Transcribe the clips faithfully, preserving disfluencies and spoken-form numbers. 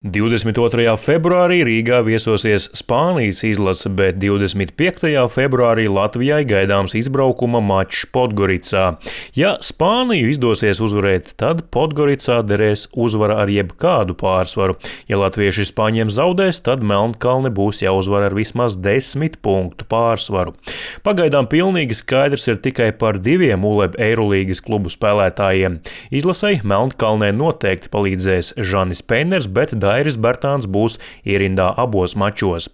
divdesmit otrajā februārī Rīgā viesosies Spānijas izlase, bet divdesmit piektajā februārī Latvijai gaidāms izbraukuma mačs Podgoricā. Ja Spāniju izdosies uzvarēt, tad Podgoricā derēs uzvara ar jebkādu pārsvaru. Ja latvieši Spāņiem zaudēs, tad Melnkalne būs jāuzvar ar vismaz desmit punktu pārsvaru. Pagaidām pilnīgi skaidrs ir tikai par diviem U L E B Eirolīgas klubu spēlētājiem. Izlasei Melnkalnē noteikti palīdzēs Žanis Peiners, bet Dairis Bertāns būs ierindā abos mačos.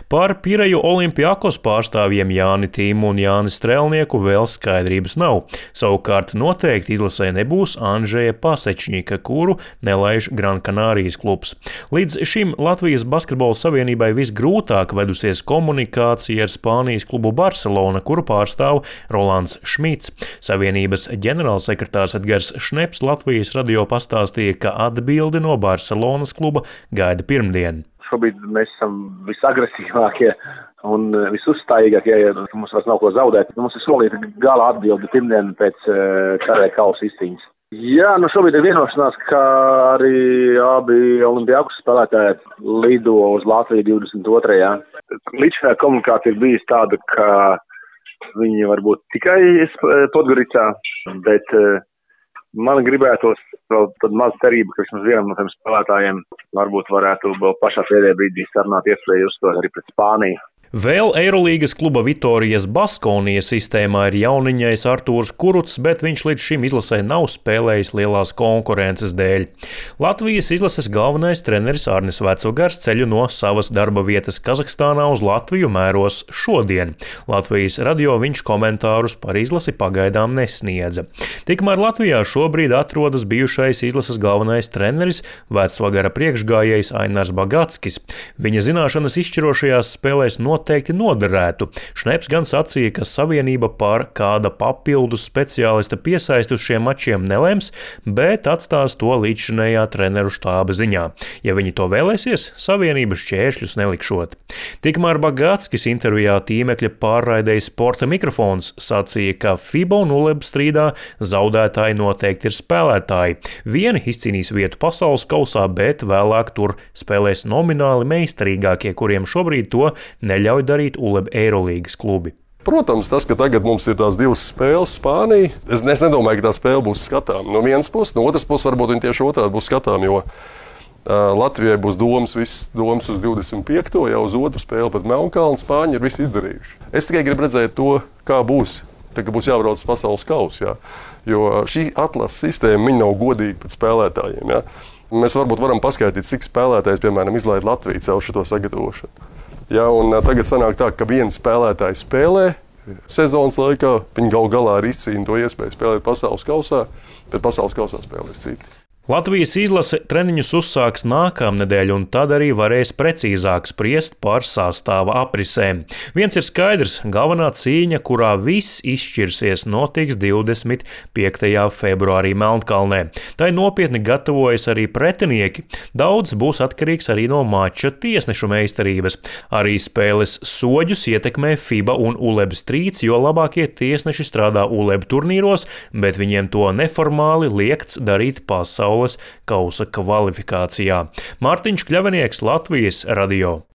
Par Pireju Olimpiakos pārstāvjiem Jāni Tīmu un Jāni Strelnieku vēl skaidrības nav. Savukārt noteikti izlasē nebūs Andžeja Pasečņika, kuru nelaiž Gran Canārijas klubs. Līdz šim Latvijas basketbola savienībai visgrūtāk vedusies komunikācija ar Spānijas klubu Barcelona, kuru pārstāv Rolands Šmits. Savienības ģenerālsekretārs Edgars Šneps Latvijas radio pastāstīja, ka atbildi no Barcelonas kluba gaida pirmdien. Šobrīd mēs esam visagresīvākie un visuzstājīgākie, ja mums vairs nav ko zaudēt. Mums ir solīta gala atbildi pirmdien pēc Karē kausa izcīņas. Jā, nu šobrīd ir vienošanās, ka arī abi Olimpiakos spēlētāji lido uz Latviju divdesmit otrajā Līdzinājā komunikācija ir bijusi tāda, ka viņi varbūt tikai Podgoricā, bet man gribētos vēl tad maz cerība, ka vismaz vienam no tiem spēlētājiem varbūt varētu vēl pašā pēdējā brīdī sarunāt iespēju uzstāties arī pret Spāniju. Vēl Eirolīgas kluba Vitorijas Baskonijas sistēmā ir jauniņais Artūrs Kurucs, bet viņš līdz šim izlasē nav spēlējis lielās konkurences dēļ. Latvijas izlases galvenais treneris Arnis Vecugars ceļu no savas darba vietas Kazahstānā uz Latviju mēros šodien. Latvijas radio viņš komentārus par izlasi pagaidām nesniedza. Tikmēr Latvijā šobrīd atrodas bijušais izlases galvenais treneris Vecvagara priekšgājējs Ainars Bagatskis. Viņa zināšanas izšķirošajās spēlēs not noteikti noderētu. Šneps gan sacīja, ka savienība par kāda papildus speciālista piesaisti uz šiem mačiem nelems, bet atstās to līdzšinējā treneru štāba ziņā. Ja viņi to vēlēsies, savienības šķēršļus nelikšot. Tikmēr Bagatskis intervijā tīmekļa pārraidēja Sporta mikrofons sacīja, ka FIBA un U L E B strīdā zaudētāji noteikti ir spēlētāji. Vieni izcīnīs vietu pasaules kausā, bet vēlāk tur spēlēs nomināli meistarīgākie, kuriem šobrīd to neļauj darīt U L E B Eirolīgas klubi. Protams, tas, ka tagad mums ir tās divas spēles Spānija, es, es nedomāju, ka tā spēle būs skatām. No vienas puses, no otras puses varbūt viņi tieši otrādi būs skatām, jo uh, Latvijai būs domas, viss domas uz divdesmit piekto jau uz otru spēli pret Melnkalni, Spāņi ir visi izdarījuši. Es tikai gribu redzēt to, kā būs. Tagad būs jābrauc uz pasaules kausu, jā. Jo šī atlases sistēma viņa nav godīga pret spēlētājiem. Jā. Mēs varbūt varam paskaidrot, cik spēlētājs, piemēram, izlaid Latviju caur šo sagatavošanu. Ja, un tagad sanāk tā, ka viens spēlētājs spēlē sezonas laikā, viņi gal galā arī izcīna to iespēju spēlēt pasaules kausā, bet pasaules kausā spēlēs citi. Latvijas izlase treniņus uzsāks nākamnedēļ, un tad arī varēs precīzāk spriest par sastāva aprisēm. Viens ir skaidrs, galvenā cīņa, kurā viss izšķirsies, notiks divdesmit piektajā februārī Melnkalnē. Tai nopietni gatavojas arī pretinieki. Daudz būs atkarīgs arī no mača tiesnešu meistarības. Arī spēles soģus ietekmē FIBA un U L E B strīds, jo labākie tiesneši strādā U L E B turnīros, bet viņiem to neformāli liekts darīt pasaules kausa kvalifikācijā. Mārtiņš Kļavinieks, Latvijas radio.